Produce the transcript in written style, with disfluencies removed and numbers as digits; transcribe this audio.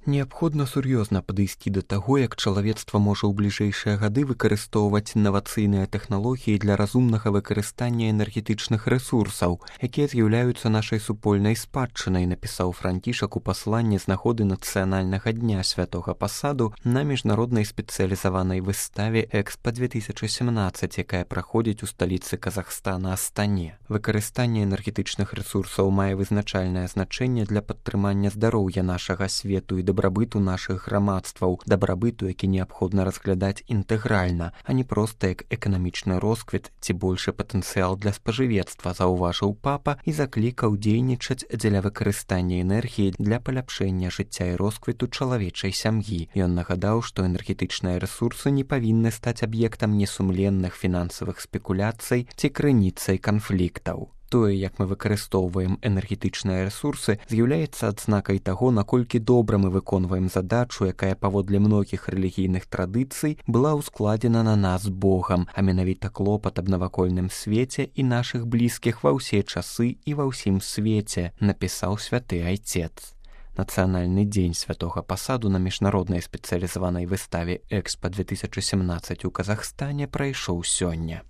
Неабходна сур'ёзна падысці да таго, як чалавецтва можа ў бліжэйшыя гады выкарыстоўваць інавацыйныя тэхналогіі для разумнага выкарыстання энергетычных рэсурсаў, якія з'яўляюцца нашай супольнай спадчынай, напісаў Францішак у пасланні з нагоды нацыянальнага дня святога пасаду на міжнароднай спецыялізаванай выставе Экспа-2017, якая праходзіць у сталіцы Казахстана Астане. Выкарыстанне энергетычных рэсурсаў мае вызначальнае значэнне для падтрымання здароўя нашага свету і дабрабыту нашых грамадстваў, дабрабыту, які неабходна разглядаць інтэгральна, а не проста як эканамічны росквіт ці большы патэнцыял для спажывецтва, заўважыў папа і заклікаў дзейнічаць дзеля выкарыстання энергіі для паляпшэння жыцця і росквіту чалавечай сям'і. Ён нагадаў, што энергетычныя рэсурсы не павінны стаць аб'ектам несумленных фінансавых спекуляцый ці крыніцай канфліктаў. Тое, як мы выкарыстоўваем энергетычныя рэсурсы, з'яўляецца адзнакай таго, наколькі добра мы выконваем задачу, якая паводле многіх рэлігійных традыцый была ўскладзена на нас Богам, а менавіта клопат аб навакольным свеце і нашых блізкіх ва ўсе часы і ва ўсім свеце, напісаў святы айцец. Нацыянальны дзень святога пасаду на міжнароднай спецыялізаванай выставе Экспа-2017 у Казахстане прайшоў сёння.